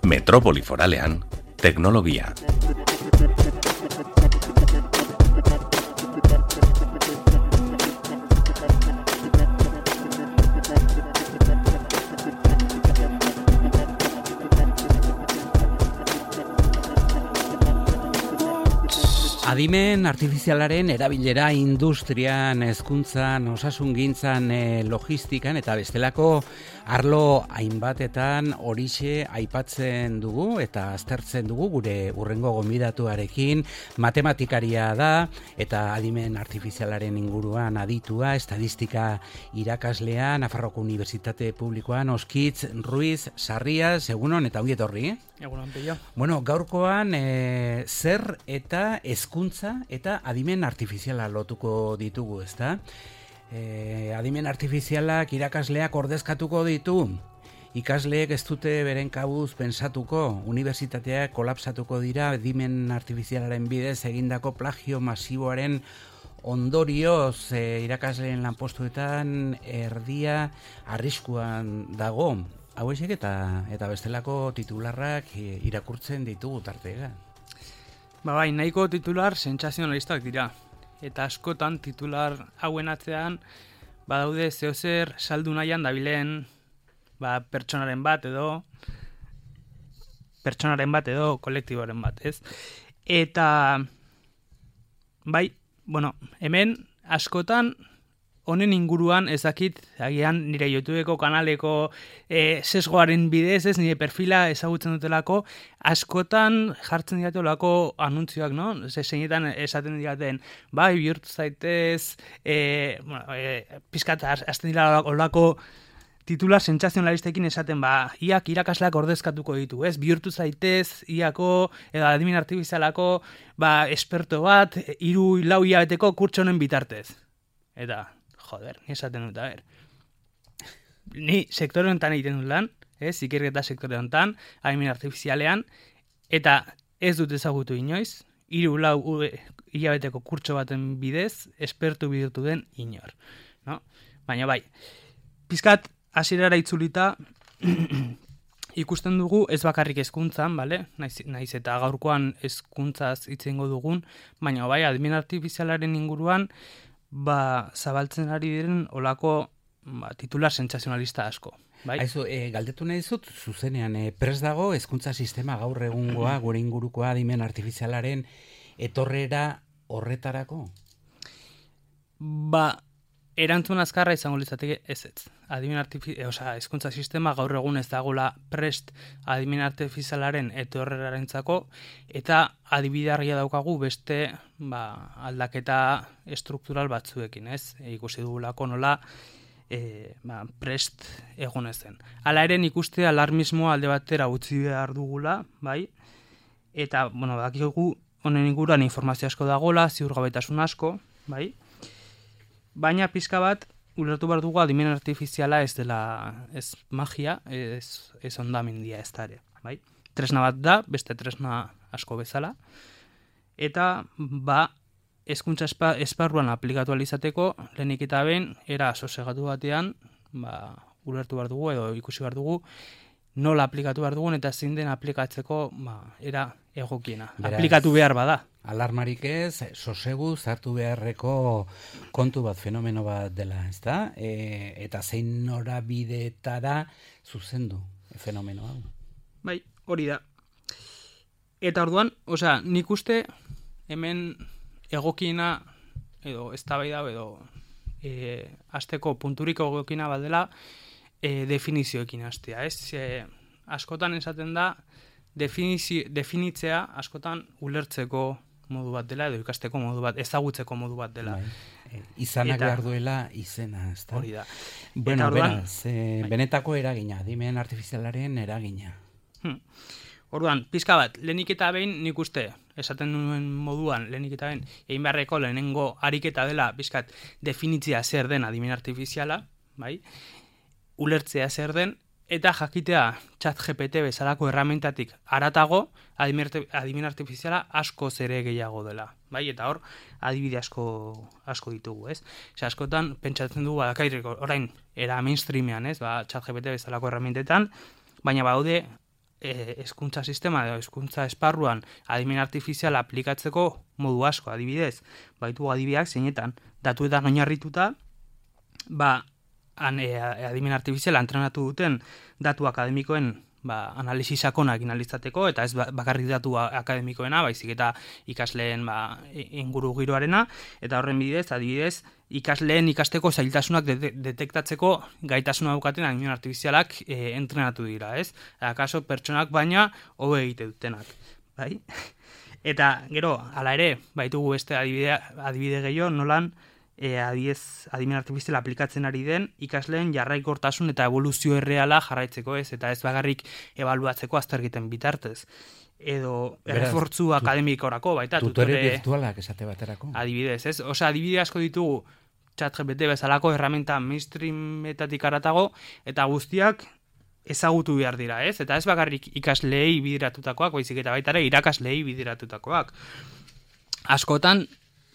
Metropoli foralean, teknologia. Adimen artifizialaren erabilera industrian, hezkuntzan, osasungintzan, logistikan eta bestelako arlo hainbatetan horixe aipatzen dugu eta aztertzen dugu gure hurrengo gonbidatuarekin. Matematikaria da eta adimen artifizialaren inguruan aditua, estadistika irakaslea, Nafarroko Unibertsitate Publikoan, Oskitz Ruiz Sarrias, egunon eta ongi etorri. Egunon, Pello. Bueno, gaurkoan zer eta hezkuntza eta adimen artifiziala lotuko ditugu, ezta? Adimen artifizialak irakasleak ordezkatuko ditu. Ikasleek ez dute beren kabuz pensatuko, unibertsitateak kolapsatuko dira adimen artifizialaren bidez egindako plagio masiboaren ondorioz irakasleen lanpostuetan erdia arriskuan dago. Hauexek eta bestelako titularrak irakurtzen ditugu tartega. Bai, nahiko titular sentsazionalistak dira. Eta askotan titular hauen atzean badaude zeozer saldu nahian dabilen pertsonaren bat edo kolektiboaren bat, ez? Eta bai, hemen askotan honen inguruan ezakit, agian nire YouTubeko kanaleko sesgoaren bidez, ez nire perfila ezagutzen dutelako, askotan jartzen diatelako anuntzioak, no? Zeinetan esaten diaten, bai, bihurtu zaitez, pizkat azten dira olako titular sentsazionalistekin esaten, iak irakasleak ordezkatuko ditu, ez? Bihurtu zaitez, iako, edo adimen artifizialako, esperto bat, 3-4 hilabeteko kurtsonen bitartez. Eta, joder, ni esaten dut, ni sektore honetan egiten dut lan, ikerketa sektore honetan, adimen artifizialean, eta ez dut ezagutu inoiz, 3-4 hilabeteko kurtso baten bidez, espertu bihurtu den inor. No? Baina bai, pizkat hasierara itzulita ikusten dugu ez bakarrik hezkuntzan, bale? Naiz eta gaurkoan hezkuntzaz hitz egingo dugun, baina bai, adimen artifizialaren inguruan zabaltzen ari diren olako titular sentsazionalista asko. Bai? Aizu, galdetu nahi dizut, zuzenean, prest dago hezkuntza sistema gaur egungoa, gure ingurukoa adimen artifizialaren etorrera horretarako? Erantzun azkarra izango litzateke ez. Hezkuntza sistema gaur egun ez dagoela prest adimen artifizialaren etorrerarentzako eta adibidarria daukagu beste aldaketa estruktural batzuekin, ez? Ikusi dugulako nola prest egon ezen. Hala ere ikuste alarmismoa alde batera utzi behar dugula, bai? Eta, dakigu honen inguruan informazio asko dagoela, ziurgabetasun asko, bai? Baina pizka bat, ulertu behar dugu adimen artifiziala ez dela, ez magia, ez ondamendia ez da ere, bai? Tresna bat da, beste tresna asko bezala, eta hezkuntza esparruan aplikatu alizateko, lehenik eta behin, era sosegatu batean, ulertu behar dugu edo ikusi behar dugu, nola aplikatu behar dugun eta zein den aplikatzeko era egokiena. Aplikatu behar bada. Alarmarik ez, sosegu zartu beharreko kontu bat, fenomeno bat dela, ez da? Eta zein norabidetara zuzendu fenomeno hau. Bai, hori da. Eta orduan, nik uste hemen egokiena edo eztabaida edo hasteko punturik egokiena bat dela definizioekin hastea, ez? Askotan esaten da definitzea askotan ulertzeko modu bat dela edo ikasteko modu bat, ezagutzeko modu bat dela. Izanak behar duela izena, ez da? Hori da. Bueno, beraz, benetako eragina, adimen artifizialaren eragina. Orduan, pizka bat, lehenik eta behin nik uste, esaten nuen moduan, lehenik eta behin, egin beharreko lehenengo ariketa dela, pizkat, definitzea zer den adimen artifiziala, bai? Ulertzea zer den, eta jakitea ChatGPT bezalako erramientatik haratago, adimen artifiziala askoz ere gehiago dela. Bai, eta hor, adibide asko ditugu, ez? Askotan, pentsatzen dugu, orain, era mainstreamean, ez? ChatGPT bezalako erramientetan, baina baude, hezkuntza sistema edo hezkuntza esparruan adimen artifiziala aplikatzeko modu asko, adibidez. Baitu adibideak zeinetan datuetan oinarrituta, adimen artifiziala entrenatu duten datu akademikoen analisi sakonak analizateko, eta ez bakarrik datu akademikoena, baizik eta ikasleen inguru giroarena, eta horren bidez, adibidez, ikasleen ikasteko zailtasunak detektatzeko gaitasuna daukaten adimen artifizialak entrenatu dira, ez? Akaso pertsonak baina hobe egite dutenak, bai? Eta gero, hala ere, baitugu beste adibide gehiago, nolan adimen artifiziala aplikatzen ari den ikasleen jarraikortasun eta evoluzio erreala jarraitzeko, ez? Eta ez bagarrik ebaluatzeko azterketen bitartez. Edo errefortzu akademikorako, baita tutore virtualak esate baterako. Adibidez, ez? Osea, adibide asko ditugu ChatGPT bezalako herramienta mainstreametatik haratago, eta guztiak ezagutu behar dira, ez? Eta ez bakarrik ikasleei bideratutakoak, baizik eta baita ere irakasleei bideratutakoak. Askotan,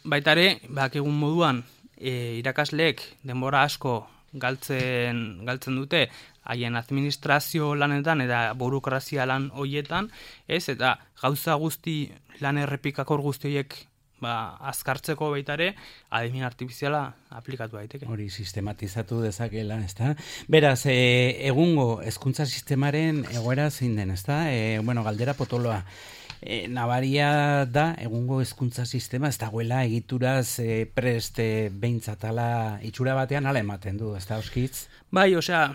baita ere, egun moduan, irakasleek denbora asko galtzen dute haien administrazio lanetan eta burokrazia lan hoietan, ez? Eta gauza guzti, lan errepikakor guzti horiek azkartzeko baita ere, adimen artifiziala aplikatu daiteke. Hori sistematizatu dezakela, ezta? Beraz, egungo hezkuntza sistemaren egoera zein den, ezta? Galdera potoloa. Nabaria da, egungo hezkuntza sistema, ez dagoela egituraz prest behintzatala itxura batean ala ematen du, ez da, Oskitz? Bai, osea,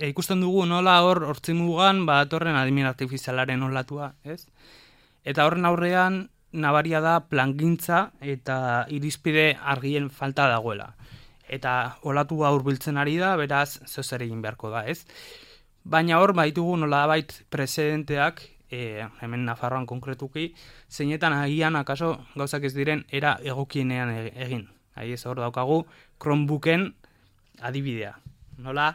ikusten dugu nola hortzimugan atorren adimen artifizialaren olatua, ez? Eta horren aurrean, nabaria da plangintza eta irizpide argien falta dagoela. Eta olatua hurbiltzen ari da, beraz, zer egin beharko da, ez? Baina hor, baitugu nolabait precedenteak, hemen Nafarroan konkretuki, zeinetan agian akaso gauzak ez diren era egokienean egin. Ez hor daukagu Chromebooken adibidea. Nola,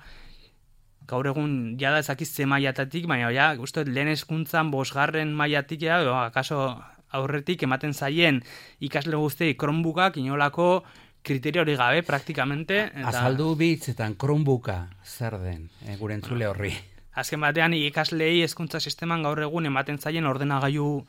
gaur egun jada ezakiz ze mailatatik, baina uste lehen hezkuntzan 5. mailatik akaso aurretik ematen zaien ikasle guztiei Chromebookak inolako kriterio hori gabe, praktikamente. Azaldu bitzetan Chromebooka zer den, gure entzule horri. Azken batean ikasleei hezkuntza sisteman gaur egun ematen zaien ordenagailu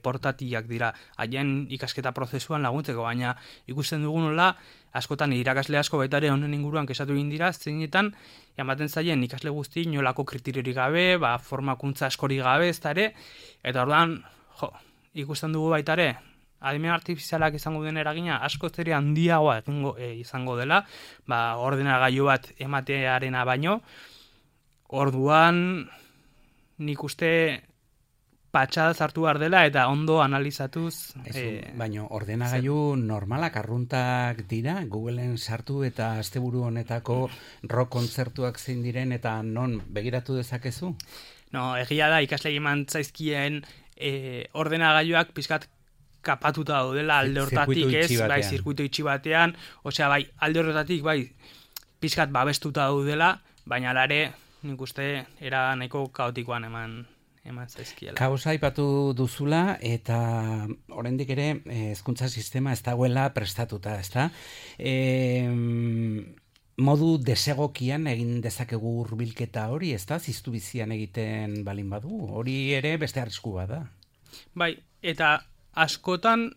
portatilak dira. Haien ikasketa prozesuan laguntzeko, baina ikusten dugu nola, askotan irakasle asko baita ere honen inguruan kesatu egin dira, zeinetan ematen zaien ikasle guzti inolako kriteriori gabe, formakuntza askori gabe, ez da ere, eta orduan, ikusten dugu baita ere, adimen artifizialak izango den eragina askoz ere handiagoa izango dela, ordenagailu bat ematearena baino. Orduan, nik uste patxada zartu behar dela eta ondo analizatuz. Baina ordenagailu normalak arruntak dira, Googleen sartu eta asteburu honetako rock kontzertuak zein diren eta non begiratu dezakezu? No, egia da ikasle eman zaizkien ordenagailuak pizkat kapatuta daudela alde hortatik, ez? Bai, zirkuito itxi batean, osea, bai, alde hortatik, bai, pizkat babestuta daudela, baina alare, nik uste era nahiko kaotikoan eman zaizkiela. Kaosa aipatu duzula eta oraindik ere hezkuntza sistema ez dagoela prestatuta, ezta? Modu desegokian egin dezakegu hurbilketa hori, ezta? Ziztu bizian egiten balin badu, hori ere beste arrisku bada. Bai, eta askotan,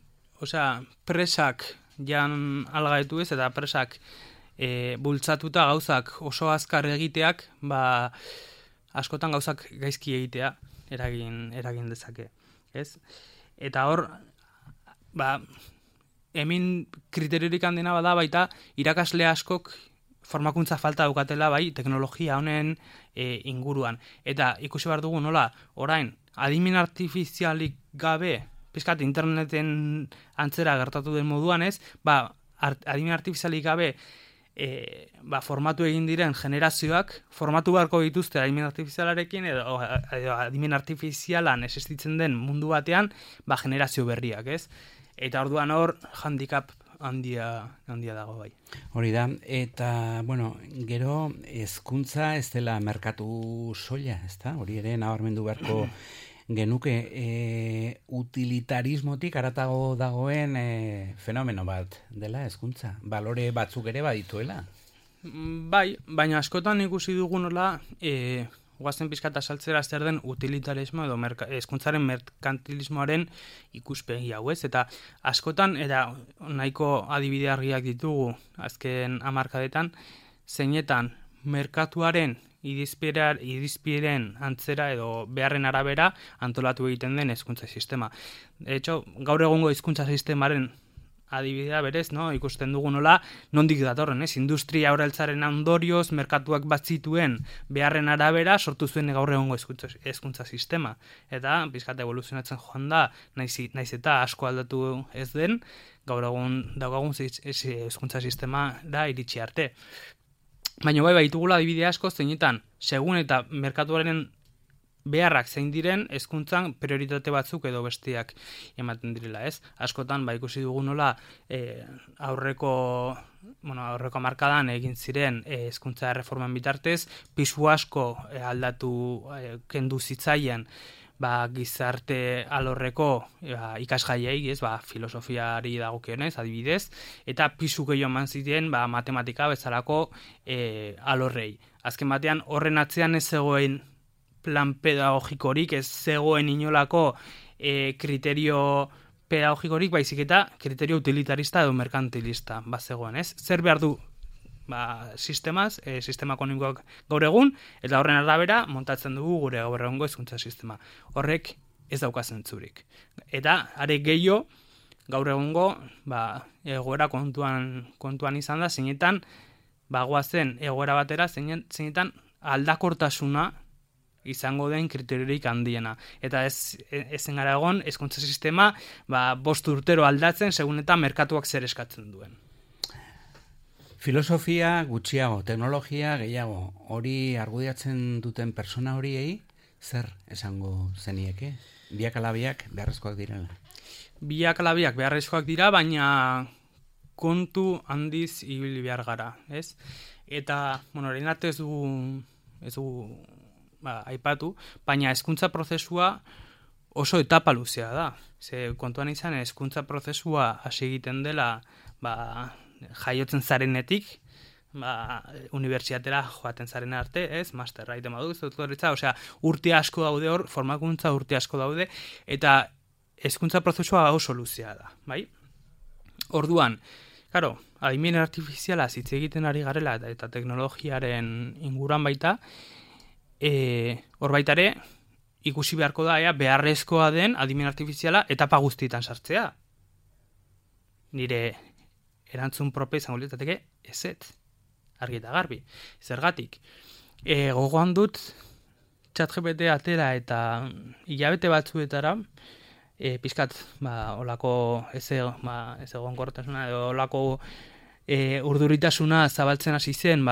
osea, presak jan algaetu ez, eta presak bultzatuta gauzak oso azkar egiteak, askotan gauzak gaizki egitea eragin dezake, ez? Eta hor, hemen kriteriorik handena bada baita irakasle askok formakuntza falta daukatela bai teknologia honen inguruan. Eta ikusi behar dugu nola, orain, adimen artifizialik gabe, pizkat interneten antzera gertatu den moduan ez, adimen artifizialik gabe formatu egin diren generazioak formatu beharko dituzte adimen artifizialarekin edo adimen artifizialan existitzen den mundu batean generazio berriak, ez? Eta orduan hor handicap handia dago bai. Hori da, eta, bueno, gero, hezkuntza ez dela merkatu soila, ez da? Hori ere, nabarmendu beharko genuke, utilitarismotik haratago dagoen fenomeno bat dela hezkuntza. Balore batzuk ere badituela. Bai, baina askotan ikusi dugu nola, guazen pizkata saltzera zer den utilitarismo edo hezkuntzaren merkantilismoaren ikuspegi hau, ez? Eta askotan, eta nahiko adibide argiak ditugu azken hamarkadetan, zeinetan merkatuaren irizpideren antzera edo beharren arabera antolatu egiten den hezkuntza sistema. De hecho, gaur egungo hezkuntza sistemaren adibidea berez, no? Ikusten dugu nola, nondik datorren, ez? Industria aurreltzaren ondorioz, merkatuak bat zituen beharren arabera sortu zuen gaur egungo hezkuntza sistema. Eta, pizkat evoluzionatzen joan da, naiz eta asko aldatu ez den, gaur egun daukagun hezkuntza sistema da iritsi arte. Baina bai ditugula adibide asko zeinetan, segun eta merkatuaren beharrak zein diren hezkuntzan prioritate batzuk edo besteak ematen direla, ez? Askotan ikusi dugu nola aurreko hamarkadan egin ziren hezkuntza erreforman bitartez, pisu asko kendu zitzaien gizarte alorreko ikasgaiei, ez, filosofiari dagokionez, adibidez, eta pisu gehiago eman ziren matematika bezalako alorrei. Azken batean horren atzean ez zegoen plan pedagogikorik, ez zegoen inolako kriterio pedagogikorik, baizik eta kriterio utilitarista edo merkantilista bazegoen, ez? Zer behar du sistema ekonomikoak gaur egun, eta horren arabera montatzen dugu gure gaur egungo hezkuntza sistema. Horrek ez dauka zentzurik. Eta are gehiago gaur egungo egoera kontuan izan da, zeinetan goazen egoera batera, zeinetan aldakortasuna izango den kriteriorik handiena. Eta ezen gara egon, hezkuntza sistema 5 urtero aldatzen, segun eta merkatuak zer eskatzen duen. Filosofia gutxiago, teknologia gehiago, hori argudiatzen duten persona horiei, zer esango zenieke? Biak ala biak beharrezkoak direla? Biak ala biak beharrezkoak dira, baina kontu handiz ibili behar gara, ez? Eta, orain arte ez dugu aipatu, baina hezkuntza prozesua oso etapa luzea da. Ze kontuan izan hezkuntza prozesua hasi egiten dela jaiotzen zarenetik, unibertsitatera joaten zaren arte, ez, masterra egiten badu, doktoretza, osea, urte asko daude hor, formakuntza urte asko daude, eta hezkuntza prozesua oso luzea da, bai? Orduan, claro, adimen artifiziala hitz egiten ari garela eta teknologiaren inguruan baita, hor baitare, ikusi beharko da, beharrezkoa den adimen artifiziala etapa guztietan sartzea. Nire erantzun propio izango litzateke ezetz, argi eta garbi. Zergatik, gogoan dut ChatGPT atera eta hilabete batzuetara, pizkat, olako ez egonkortasuna edo olako urduritasuna zabaltzen hasi zen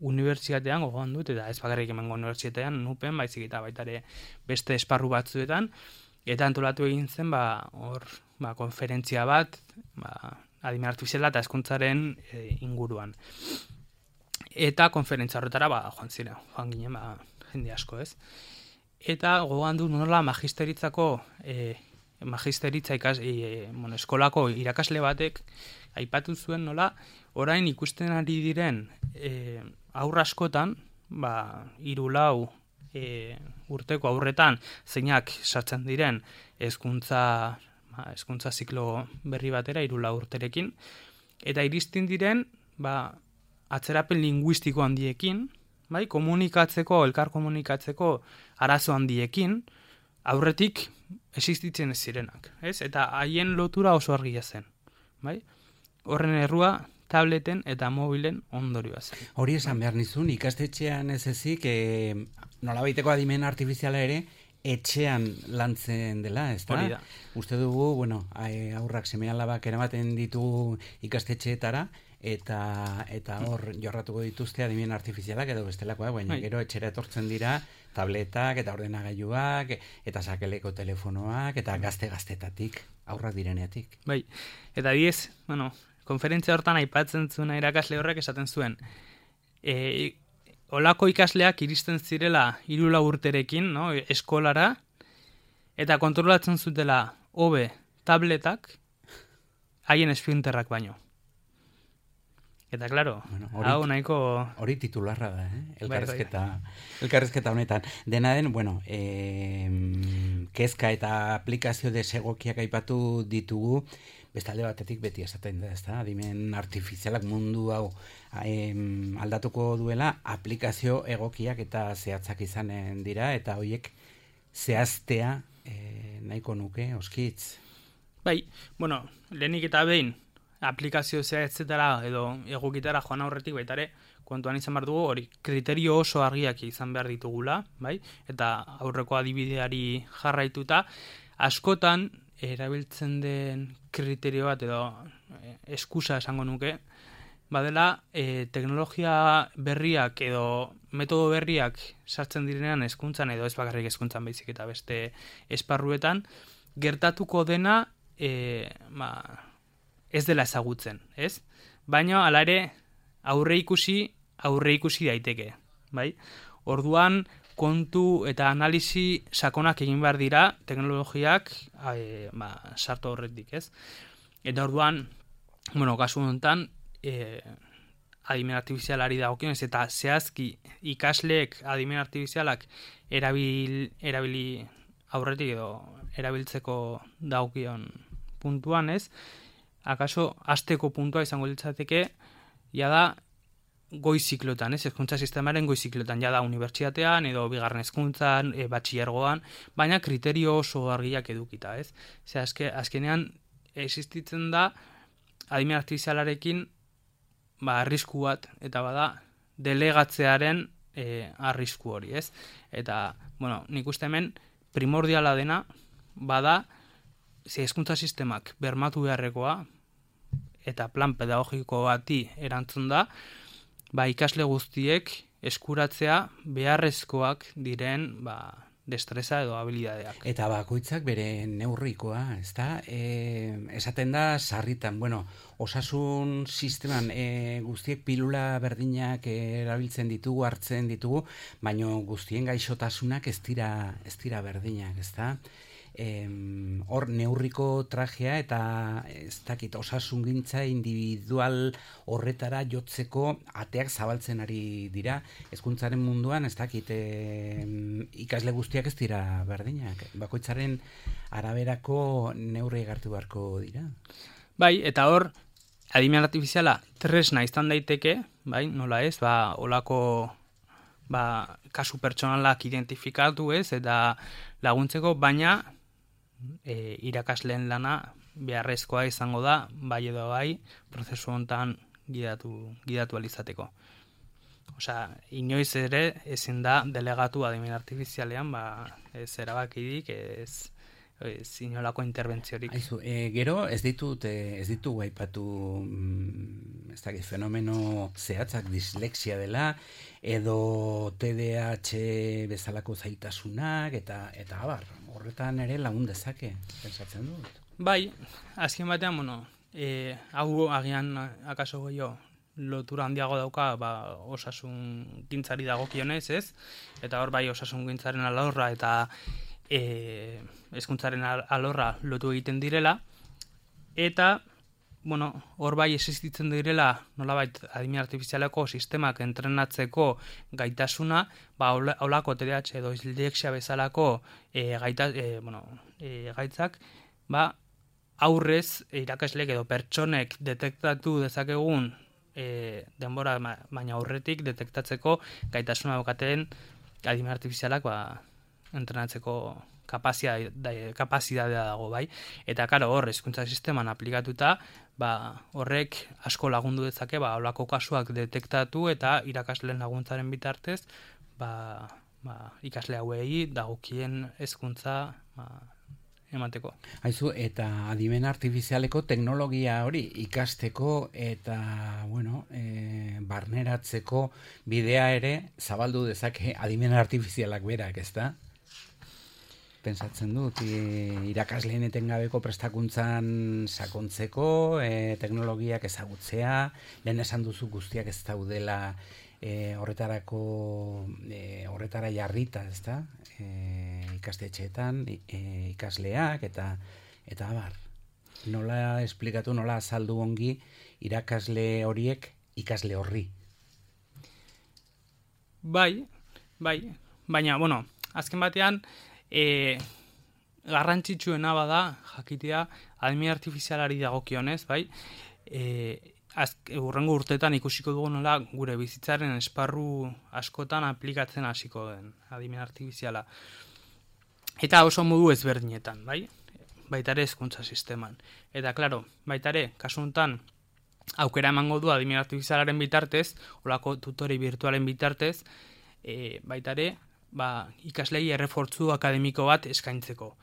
unibertsitatean, gogoan dut, eta ez bakarrik emango unibertsitatean, nupen, baizik eta baitare beste esparru batzuetan, eta antolatu egin zen hor konferentzia bat, adimen artifiziala eta hezkuntzaren inguruan. Eta konferentzia horretara joan ginen jende asko, ez? Eta gogoan du nola eskolako irakasle batek aipatu zuen nola orain ikusten ari diren haur askotan, 3-4 urteko aurretan zeinak sartzen diren hezkuntza ziklo berri batera 3-4 urterekin, eta iristen diren atzerapen linguistiko handiekin, komunikatzeko, elkar komunikatzeko arazo handiekin, aurretik existitzen ez zirenak, ez? Eta haien lotura oso argia zen, bai? Horren errua tableten eta mobilen ondorioa zen. Hori esan behar nizun, ikastetxean ez ezik, nolabaiteko adimen artifiziala ere, etxean lantzen dela, ez da? Hori da. Uste dugu, aurrak seme-alabak eramaten ditugu ikastetxeetara, eta hor jorratuko dituzte adimen artifizialak edo bestelakoak, baina gero etxera etortzen dira tabletak eta ordenagailuak eta sakeleko telefonoak eta gaztetatik, aurrak direneatik. Bai, eta diez, konferentzia hortan aipatzen zuen irakasle horrek esaten zuen, olako ikasleak iristen zirela 3-4 urterekin, no, eskolara, eta kontrolatzen zutela hobe tabletak haien esprinterrak baino. Eta, klaro, hau nahiko... Hori titularra da, elkarrizketa honetan. Dena den, bueno, kezka eta aplikazio desegokiak aipatu ditugu, bestalde batetik beti esaten da, ezta? Adimen artifizialak mundu hau aldatuko duela, aplikazio egokiak eta zehatzak izanen dira, eta horiek zehaztea nahiko nuke, oskitz. Bai, bueno, lehenik eta behin, aplikazio zehatzetara edo egokitara joan aurretik baitare, kontuan izan behar dugu, hori kriterio oso argiak izan behar ditugula, bai? Eta aurreko adibideari jarraituta, askotan erabiltzen den kriterio bat edo eskusa esango nuke, badela teknologia berriak edo metodo berriak sartzen direnean hezkuntzan edo ez bakarrik hezkuntzan baizik eta beste esparruetan, gertatuko dena ez dela ezagutzen, ez? Baina hala ere aurre ikusi daiteke, bai? Orduan kontu eta analisi sakonak egin behar dira teknologiak sartu horretik, ez? Eta orduan, bueno, kasu honetan, adimen artifizialari dagokionez eta zehazki ikasleek adimen artifizialak erabili aurretik edo erabiltzeko dagokion puntuan, ez? Akaso hasteko puntua izango litzateke jada goi ziklotan, ez? Hezkuntza sistemaren goi ziklotan, jada unibertsitatean edo bigarren hezkuntzan, batxilergoan, baina kriterio oso argiak edukita, ez? Ze azkenean existitzen da adimen artifizialarekin arrisku bat, eta bada delegatzearen arrisku hori, ez? Eta, bueno, nik uste hemen primordiala dena bada hezkuntza sistemak bermatu beharrekoa eta plan pedagogiko bati erantzun da, ikasle guztiek eskuratzea beharrezkoak diren destreza edo habilidadeak. Eta bakoitzak bere neurrikoa, ezta? Esaten da sarritan, bueno, osasun sisteman guztiek pilula berdinak erabiltzen ditugu, hartzen ditugu, baina guztien gaixotasunak ez dira berdinak, ezta? Hor neurriko trajea eta ez dakit osasungintza individual horretara jotzeko ateak zabaltzen ari dira. Hezkuntzaren munduan ez dakit ikasle guztiak ez dira berdinak. Bakoitzaren araberako neurri hartu beharko dira. Bai, eta hor adimen artifiziala tresna izan daiteke, bai, nola ez, olako kasu pertsonalak identifikatu, ez, eta laguntzeko, baina irakasleen lana beharrezkoa izango da, bai edo bai, prozesu honetan gidatu alizateko. Osea, inoiz ere ezin da delegatu adimen artifizialean, ez erabakidik, ez inolako interbentziorik. Aizu, gero ez ditugu aipatu ez dakit fenomeno zehatzak dislexia dela, edo TDAH bezalako zailtasunak, eta abar, horretan ere lagun dezake, pensatzen dut. Bai, azken batean, bueno, hau agian akaso goio lotura handiago dauka osasun gintzari dagokionez, ez? Eta hor bai osasun gintzaren alorra eta hezkuntzaren alorra lotu egiten direla, eta bueno, hor bai existitzen direla nolabait adimen artifizialeko sistemak entrenatzeko gaitasuna, holako TDAH edo dislexia bezalako gaitzak, aurrez irakasleek edo pertsonek detektatu dezakegun denbora baina aurretik detektatzeko gaitasuna daukaten adimen artifizialak entrenatzeko kapazitatea dago, bai. Eta karo, hor hezkuntza sisteman aplikatuta, horrek asko lagundu dezake, holako kasuak detektatu eta irakasleen laguntzaren bitartez, ikasle hauei dagokien hezkuntza emateko. Aizu, eta adimen artifizialeko teknologia hori ikasteko eta, bueno, barneratzeko bidea ere zabaldu dezake adimen artifizialak berak, ezta? pensatzen dut, irakasleen etengabeko prestakuntzan sakontzeko, teknologiak ezagutzea, lehen esan duzu guztiak ez daudela horretara jarrita, ezta? Ikastetxeetan, ikasleak eta abar. Nola esplikatu, nola azaldu ongi irakasle horiek ikasle horri? Bai, baina, bueno, azken batean, garrantzitsuena bada, jakitea, adimen artifizialari dagokionez, bai, hurrengo urteetan ikusiko dugu nola gure bizitzaren esparru askotan aplikatzen hasiko den adimen artifiziala. Eta oso modu ezberdinetan, bai? Baita ere hezkuntza sisteman. Eta, klaro, baita ere, kasu honetan, aukera emango du adimen artifizialaren bitartez, olako tutore virtualen bitartez, baita ere, ikaslei errefortzu akademiko bat eskaintzeko.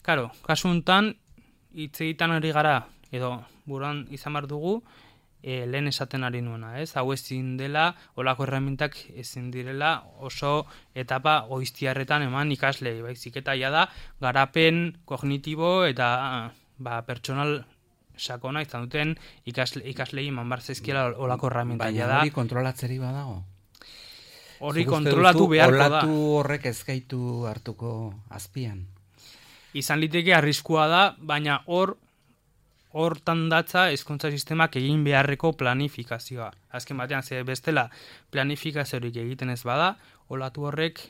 Klaro, kasu honetan, hitz egiten ari gara, edo buruan izan behar dugu, lehen esaten ari nuena, ez? Hau ezin dela, olako erremintak ezin direla oso etapa goiztiarretan eman ikaslei, baizik eta ja da, garapen kognitibo eta pertsonal sakona izan duten ikaslei eman bar zaizkiela olako erremintak. Baina hori kontrolatzeri badago? Hori kontrolatu beharko da. Olatu horrek ez gaitu hartuko azpian? Izan liteke arriskua da, baina hortan datza hezkuntza sistemak egin beharreko planifikazioa. Azken batean, bestela planifikaziorik egiten ez bada, olatu horrek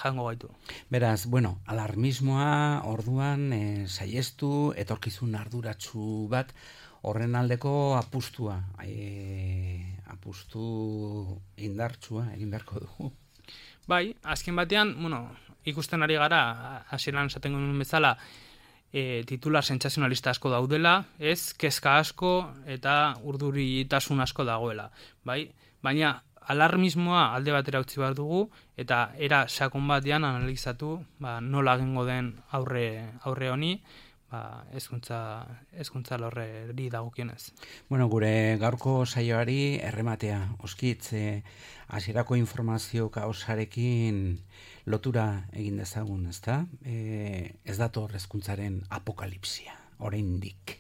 jango gaitu. Beraz, bueno, alarmismoa orduan saiestu, etorkizun arduratsu bat, horren aldeko apustua, apustu indartsua egin beharko dugu. Bai, azken batean, bueno, ikusten ari gara, hasieran esaten genuen bezala, titular sentsazionalista asko daudela, ez, kezka asko eta urduritasun asko dagoela, bai? Baina alarmismoa alde batera utzi behar dugu eta era sakon batean analizatu, nola egingo den aurre honi, hezkuntza lorreri dagokionez. Bueno, gure gaurko saioari errematea, oskitz, hasierako informazio kaosarekin lotura egin dezagun, ezta? Ez dator hezkuntzaren apokalipsia, oraindik.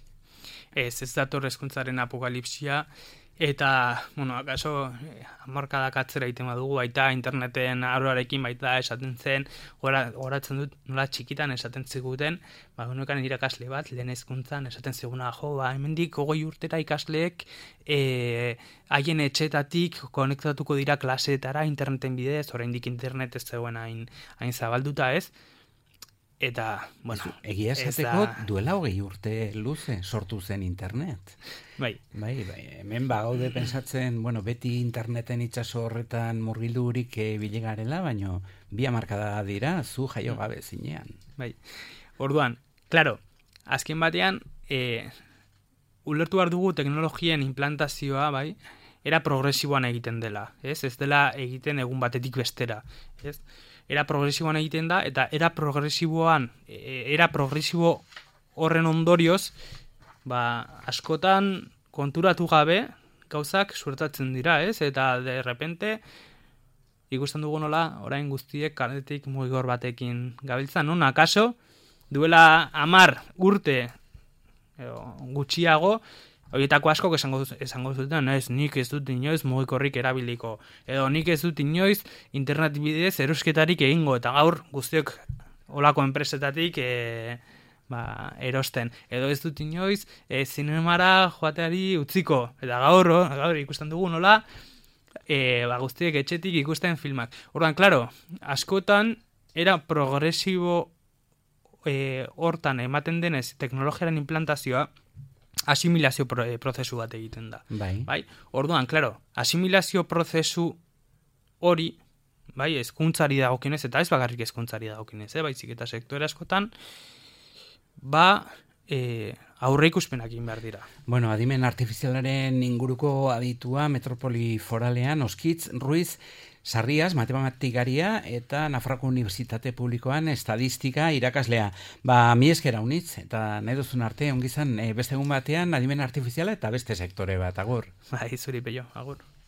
Ez dator hezkuntzaren apokalipsia, eta, bueno, akaso hamarkadak atzera egiten badugu, baita interneten aroarekin baita esaten zen, goratzen dut nola txikitan esaten ziguten, genuekan irakasle bat, lehen hezkuntzan esaten ziguna, hemendik 20 urtera ikasleek haien etxetatik konektatuko dira klaseetara interneten bidez, oraindik internet ez zegoen hain zabalduta, ez? Eta, bueno... Egia esateko duela 20 urte luze sortu zen internet. Bai, hemen gaude pensatzen, bueno, beti interneten itsaso horretan murgildurik bilegarela, baino 2 hamarkada dira, zu jaio gabe zinean. Bai, orduan, claro, azken batean, ulertu behar dugu teknologien implantazioa, bai, era progresiboan egiten dela, ez? Ez dela egiten egun batetik bestera, ez? Era progresiboan egiten da, eta era progresibo horren ondorioz, askotan konturatu gabe gauzak suertatzen dira, ez? Eta de repente ikusten dugu nola orain guztiek kaletik mugigor batekin gabiltzan, non akaso duela 10 urte gutxiago horietako askok esango zuten, ez, nik ez dut inoiz mugikorrik erabiliko, edo nik ez dut inoiz internet bidez erosketarik egingo, eta gaur guztiok olako enpresetatik erosten, edo ez dut inoiz zinemara joateari utziko, eta gaur ikusten dugu nola guztiek etxetik ikusten filmak. Orduan, klaro, askotan era progresibo hortan ematen denez teknologiaren implantazioa asimilazio prozesu bat egiten da. Bai. Orduan, klaro, asimilazio prozesu hori, bai, hezkuntzari dagokionez, eta ez bakarrik hezkuntzari dagokionez, baizik eta sektore askotan, aurre ikuspenak egin behar dira. Bueno, adimen artifizialaren inguruko aditua Metropoli Foralean, Oskitz Ruiz Sarrias, matematikaria eta Nafarroako Unibertsitate Publikoan estadistika irakaslea. Mi esker unitz, eta nahi duzun arte, ongizan beste egun batean adimen artifiziala eta beste sektore bat, agur. Zuri pello, agur.